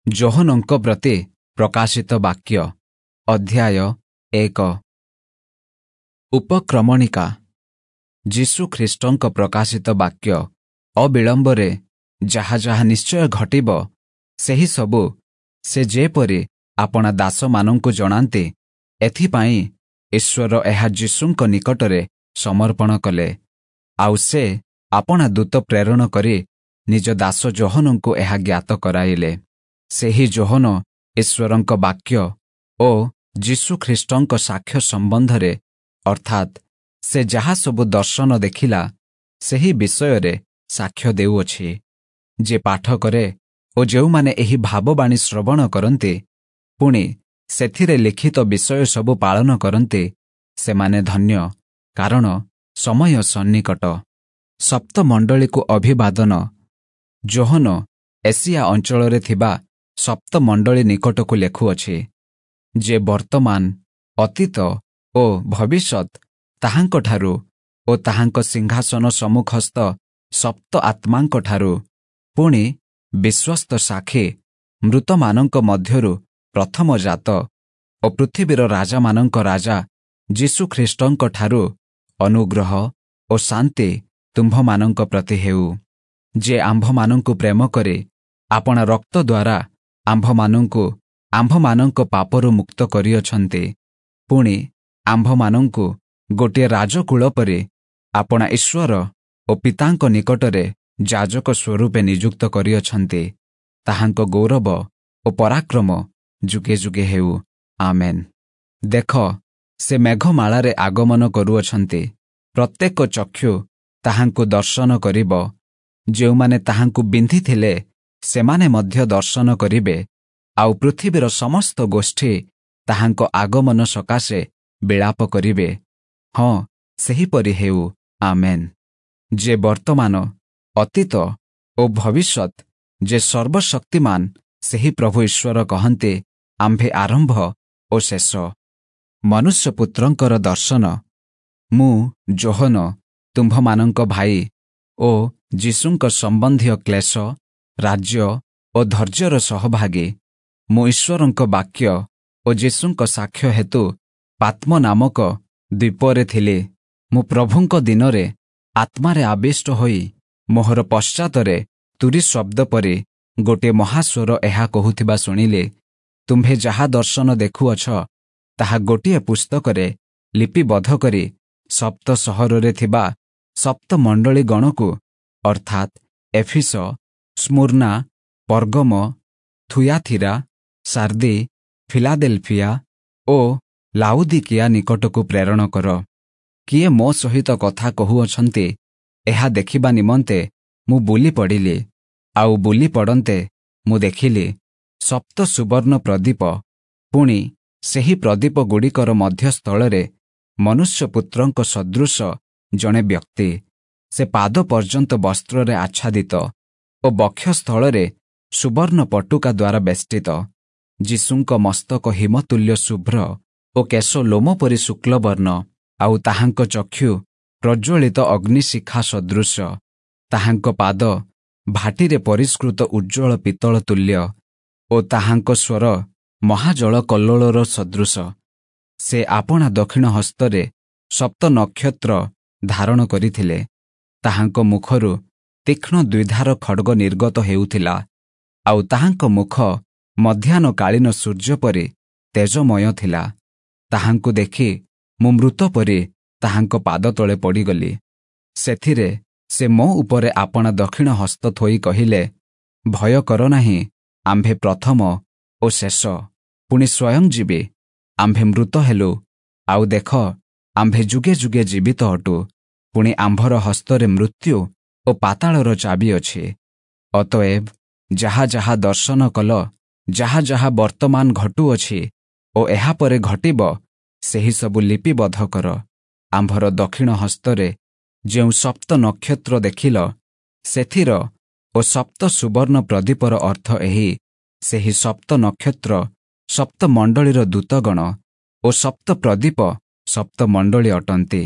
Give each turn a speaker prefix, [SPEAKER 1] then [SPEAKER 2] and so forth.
[SPEAKER 1] ଯୋହନଙ୍କ ପ୍ରତି ପ୍ରକାଶିତ ବାକ୍ୟ, ଅଧ୍ୟାୟ 1। ଉପକ୍ରମଣିକା। ଯୀଶୁ ଖ୍ରୀଷ୍ଟଙ୍କ ପ୍ରକାଶିତ ବାକ୍ୟ, ଅବିଳମ୍ବରେ ଯାହା ଯାହା ନିଶ୍ଚୟ ଘଟିବ, ସେହି ସବୁ ସେ ଯେପରି ଆପଣା ଦାସମାନଙ୍କୁ ଜଣାନ୍ତି, ଏଥିପାଇଁ ଈଶ୍ୱର ଏହା ଯୀଶୁଙ୍କ ନିକଟରେ ସମର୍ପଣ କଲେ। ଆଉ ସେ ଆପଣା ଦୂତ ପ୍ରେରଣ କରି ନିଜ ଦାସ ଯୋହନଙ୍କୁ ଏହା ଜ୍ଞାତ କରାଇଲେ। ସେହି ଯୋହନ ଈଶ୍ୱରଙ୍କ ବାକ୍ୟ ଓ ଯୀଶୁ ଖ୍ରୀଷ୍ଟଙ୍କ ସାକ୍ଷ୍ୟ ସମ୍ବନ୍ଧରେ, ଅର୍ଥାତ୍ ସେ ଯାହା ସବୁ ଦର୍ଶନ ଦେଖିଲା, ସେହି ବିଷୟରେ ସାକ୍ଷ୍ୟ ଦେଉଅଛି। ଯେ ପାଠ କରେ ଓ ଯେଉଁମାନେ ଏହି ଭାବବାଣୀ ଶ୍ରବଣ କରନ୍ତି, ପୁଣି ସେଥିରେ ଲିଖିତ ବିଷୟ ସବୁ ପାଳନ କରନ୍ତି, ସେମାନେ ଧନ୍ୟ, କାରଣ ସମୟ ସନ୍ନିକଟ। ସପ୍ତମଣ୍ଡଳୀକୁ ଅଭିବାଦନ। ଯୋହନ ଏସିଆ ଅଞ୍ଚଳରେ ଥିବା ସପ୍ତମଣ୍ଡଳୀ ନିକଟକୁ ଲେଖୁଅଛି, ଯେ ବର୍ତ୍ତମାନ, ଅତୀତ ଓ ଭବିଷ୍ୟତ, ତାହାଙ୍କଠାରୁ ଓ ତାହାଙ୍କ ସିଂହାସନ ସମ୍ମୁଖସ୍ଥ ସପ୍ତ ଆତ୍ମାଙ୍କଠାରୁ, ପୁଣି ବିଶ୍ୱସ୍ତ ସାକ୍ଷୀ, ମୃତମାନଙ୍କ ମଧ୍ୟରୁ ପ୍ରଥମ ଜାତ ଓ ପୃଥିବୀର ରାଜାମାନଙ୍କ ରାଜା ଯୀଶୁଖ୍ରୀଷ୍ଟଙ୍କଠାରୁ ଅନୁଗ୍ରହ ଓ ଶାନ୍ତି ତୁମ୍ଭମାନଙ୍କ ପ୍ରତି ହେଉ। ଯେ ଆମ୍ଭମାନଙ୍କୁ ପ୍ରେମ କରି ଆପଣା ରକ୍ତ ଦ୍ୱାରା ଆମ୍ଭମାନଙ୍କୁ ଆମ୍ଭମାନଙ୍କ ପାପରୁ ମୁକ୍ତ କରିଅଛନ୍ତି, ପୁଣି ଆମ୍ଭମାନଙ୍କୁ ଗୋଟିଏ ରାଜକୁଳ ପରି ଆପଣା ଈଶ୍ୱର ଓ ପିତାଙ୍କ ନିକଟରେ ଯାଜକ ସ୍ୱରୂପେ ନିଯୁକ୍ତ କରିଅଛନ୍ତି, ତାହାଙ୍କ ଗୌରବ ଓ ପରାକ୍ରମ ଯୁଗେ ଯୁଗେ ହେଉ। ଆମେନ୍। ଦେଖ, ସେ ମେଘମାଳାରେ ଆଗମନ କରୁଅଛନ୍ତି, ପ୍ରତ୍ୟେକ ଚକ୍ଷୁ ତାହାଙ୍କୁ ଦର୍ଶନ କରିବ, ଯେଉଁମାନେ ତାହାଙ୍କୁ ବିନ୍ଧିଥିଲେ ସେମାନେ ମଧ୍ୟ ଦର୍ଶନ କରିବେ, ଆଉ ପୃଥିବୀର ସମସ୍ତ ଗୋଷ୍ଠୀ ତାହାଙ୍କ ଆଗମନ ସକାଶେ ବିଳାପ କରିବେ। ହଁ, ସେହିପରି ହେଉ। ଆମେନ୍। ଯେ ବର୍ତ୍ତମାନ, ଅତୀତ ଓ ଭବିଷ୍ୟତ, ଯେ ସର୍ବଶକ୍ତିମାନ, ସେହି ପ୍ରଭୁ ଈଶ୍ୱର କହନ୍ତି, ଆମ୍ଭେ ଆରମ୍ଭ ଓ ଶେଷ। ମନୁଷ୍ୟପୁତ୍ରଙ୍କର ଦର୍ଶନ। ମୁଁ ଯୋହନ, ତୁମ୍ଭମାନଙ୍କ ଭାଇ ଓ ଯୀଶୁଙ୍କ ସମ୍ବନ୍ଧୀୟ କ୍ଲେଶ, ରାଜ୍ୟ ଓ ଧୈର୍ଯ୍ୟର ସହଭାଗୀ, ମୁଁ ଈଶ୍ୱରଙ୍କ ବାକ୍ୟ ଓ ଯୀଶୁଙ୍କ ସାକ୍ଷ୍ୟ ହେତୁ ପାତ୍ମ ନାମକ ଦ୍ୱୀପରେ ଥିଲି। ମୁଁ ପ୍ରଭୁଙ୍କ ଦିନରେ ଆତ୍ମାରେ ଆବିଷ୍ଟ ହୋଇ ମୋହର ପଶ୍ଚାତରେ ତୁରୀ ଶବ୍ଦ ପରି ଗୋଟିଏ ମହାସ୍ୱର ଏହା କହୁଥିବା ଶୁଣିଲି, ତୁମ୍ଭେ ଯାହା ଦର୍ଶନ ଦେଖୁଅଛ, ତାହା ଗୋଟିଏ ପୁସ୍ତକରେ ଲିପିବଦ୍ଧ କରି ସପ୍ତ ସହରରେ ଥିବା ସପ୍ତ ମଣ୍ଡଳୀ ଗଣକୁ, ଅର୍ଥାତ୍ ଏଫିସ, ସ୍ମୁର୍ନା, ପର୍ଗମ, ଥୁୟାଥିରା, ସାର୍ଦି, ଫିଲାଦେଲଫିଆ ଓ ଲାଉଦିକିଆ ନିକଟକୁ ପ୍ରେରଣ କର। କିଏ ମୋ ସହିତ କଥା କହୁଅଛନ୍ତି, ଏହା ଦେଖିବା ନିମନ୍ତେ ମୁଁ ବୁଲି ପଡ଼ିଲି। ଆଉ ବୁଲି ପଡ଼ନ୍ତେ ମୁଁ ଦେଖିଲି ସପ୍ତ ସୁବର୍ଣ୍ଣ ପ୍ରଦୀପ, ପୁଣି ସେହି ପ୍ରଦୀପଗୁଡ଼ିକର ମଧ୍ୟସ୍ଥଳରେ ମନୁଷ୍ୟପୁତ୍ରଙ୍କ ସଦୃଶ ଜଣେ ବ୍ୟକ୍ତି। ସେ ପାଦ ପର୍ଯ୍ୟନ୍ତ ବସ୍ତ୍ରରେ ଆଚ୍ଛାଦିତ ଓ ବକ୍ଷସ୍ଥଳରେ ସୁବର୍ଣ୍ଣ ପଟୁକା ଦ୍ୱାରା ବେଷ୍ଟିତ। ଯୀଶୁଙ୍କ ମସ୍ତକ ହିମତୁଲ୍ୟ ଶୁଭ୍ର ଓ କେଶ ଲୋମ ପରି ଶୁକ୍ଲବର୍ଣ୍ଣ, ଆଉ ତାହାଙ୍କ ଚକ୍ଷୁ ପ୍ରଜ୍ୱଳିତ ଅଗ୍ନିଶିଖା ସଦୃଶ। ତାହାଙ୍କ ପାଦ ଭାଟିରେ ପରିଷ୍କୃତ ଉଜ୍ଜ୍ୱଳ ପିତ୍ତଳ ତୁଲ୍ୟ ଓ ତାହାଙ୍କ ସ୍ୱର ମହାଜଳ କଲ୍ଲୋଳର ସଦୃଶ। ସେ ଆପଣା ଦକ୍ଷିଣ ହସ୍ତରେ ସପ୍ତ ନକ୍ଷତ୍ର ଧାରଣ କରିଥିଲେ। ତାହାଙ୍କ ମୁଖରୁ ତୀକ୍ଷ୍ଣ ଦ୍ୱିଧାର ଖଡ଼ଗ ନିର୍ଗତ ହେଉଥିଲା, ଆଉ ତାହାଙ୍କ ମୁଖ ମଧ୍ୟାହ୍ନକାଳୀନ ସୂର୍ଯ୍ୟ ପରି ତେଜମୟ ଥିଲା। ତାହାଙ୍କୁ ଦେଖି ମୁଁ ମୃତ ପରି ତାହାଙ୍କ ପାଦ ତଳେ ପଡ଼ିଗଲି। ସେଥିରେ ସେ ମୋ ଉପରେ ଆପଣା ଦକ୍ଷିଣ ହସ୍ତ ଥୋଇ କହିଲେ, ଭୟ କର ନାହିଁ, ଆମ୍ଭେ ପ୍ରଥମ ଓ ଶେଷ, ପୁଣି ସ୍ୱୟଂ ଜୀବୀ। ଆମ୍ଭେ ମୃତ ହେଲୁ, ଆଉ ଦେଖ, ଆମ୍ଭେ ଯୁଗେ ଯୁଗେ ଜୀବିତ ଅଟୁ, ପୁଣି ଆମ୍ଭର ହସ୍ତରେ ମୃତ୍ୟୁ ଓ ପାତାଳର ଚାବି ଅଛି। ଅତଏବ ଯାହା ଯାହା ଦର୍ଶନ କଲ, ଯାହା ଯାହା ବର୍ତ୍ତମାନ ଘଟୁଅଛି ଓ ଏହାପରେ ଘଟିବ, ସେହି ସବୁ ଲିପିବଦ୍ଧ କର। ଆମ୍ଭର ଦକ୍ଷିଣ ହସ୍ତରେ ଯେଉଁ ସପ୍ତ ନକ୍ଷତ୍ର ଦେଖିଲ, ସେଥିର ଓ ସପ୍ତ ସୁବର୍ଣ୍ଣ ପ୍ରଦୀପର ଅର୍ଥ ଏହି, ସେହି ସପ୍ତ ନକ୍ଷତ୍ର ସପ୍ତ ମଣ୍ଡଳୀର ଦୂତଗଣ ଓ ସପ୍ତ ପ୍ରଦୀପ ସପ୍ତ ମଣ୍ଡଳୀ ଅଟନ୍ତି।